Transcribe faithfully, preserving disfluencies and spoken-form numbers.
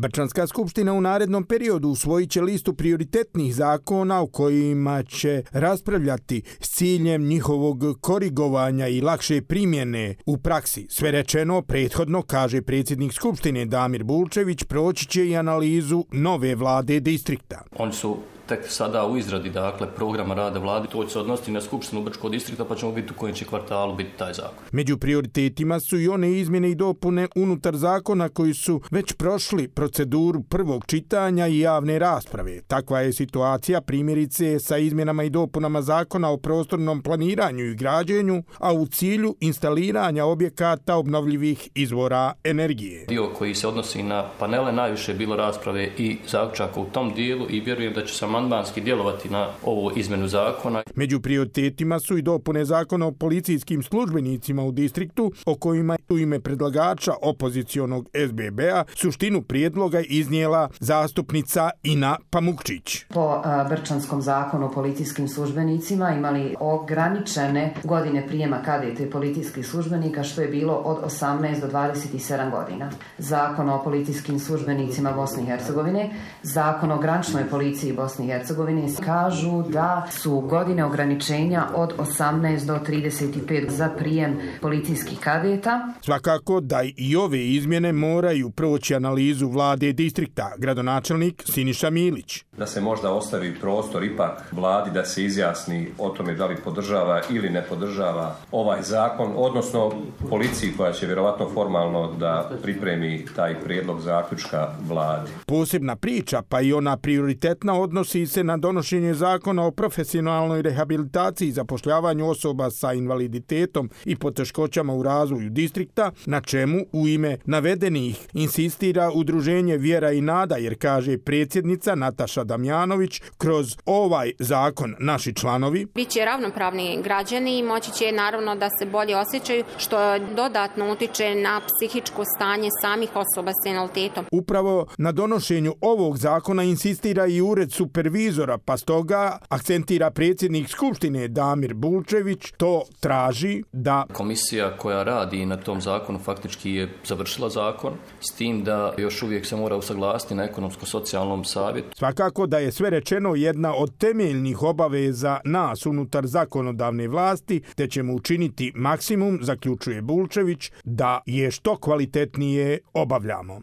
Brčanska skupština u narednom periodu usvojit će listu prioritetnih zakona u kojima će raspravljati s ciljem njihovog korigovanja i lakše primjene u praksi. Sve rečeno prethodno, kaže predsjednik skupštine Damir Bulčević, proći će i analizu nove vlade distrikta. Oni su tek sada u izradi, dakle, programa rada vlade, to će se odnositi na skupštinu Brčkog distrikta, pa ćemo vidjeti u kojem će kvartalu biti taj zakon. Među prioritetima su i one izmjene i dopune unutar zakona koji su već prošli proceduru prvog čitanja i javne rasprave. Takva je situacija primjerice sa izmjenama i dopunama zakona o prostornom planiranju i građenju, a u cilju instaliranja objekata obnovljivih izvora energije. Dio koji se odnosi na panele, najviše je bilo rasprave i zaključaka u tom dijelu i vjerujem da će se amandmanski djelovati na ovu izmjenu zakona. Među prioritetima su i dopune zakona o policijskim službenicima u distriktu, o kojima u ime predlagača opozicionog S B B-a suštinu prijedloga iznijela zastupnica Ina Pamukčić. Po Brčanskom zakonu o policijskim službenicima imali ograničene godine prijema kadeta i policijskih službenika, što je bilo od osamnaest do dvadeset sedam godina. Zakon o policijskim službenicima Bosne i Hercegovine, zakon o graničnoj policiji Bosne i Hercegovine kažu da su godine ograničenja od osamnaest do trideset pet za prijem policijskih kadeta. Svakako da i ove izmjene moraju proći analizu vlade distrikta, gradonačelnik Siniša Milić. Da se možda ostavi prostor ipak vladi da se izjasni o tome da li podržava ili ne podržava ovaj zakon, odnosno policiji koja će vjerovatno formalno da pripremi taj prijedlog zaključka vladi. Posebna priča, pa i ona prioritetna, odnosi se na donošenje zakona o profesionalnoj rehabilitaciji i zapošljavanju osoba sa invaliditetom i poteškoćama u razvoju distrikta, na čemu u ime navedenih insistira udruženje Vjera i nada, jer kaže predsjednica Nataša Damjanović, kroz ovaj zakon naši članovi biće ravnopravni građani i moći će naravno da se bolje osjećaju, što dodatno utiče na psihičko stanje samih osoba s invaliditetom. Upravo na donošenju ovog zakona insistira i ured supervizora, pa stoga akcentira predsjednik skupštine Damir Bulčević, to traži da komisija koja radi na tom zakonu faktički je završila zakon, s tim da još uvijek se mora usaglasiti na ekonomsko-socijalnom savjetu. Svakako da je sve rečeno jedna od temeljnih obaveza nas unutar zakonodavne vlasti, te ćemo učiniti maksimum, zaključuje Bulčević, da je što kvalitetnije obavljamo.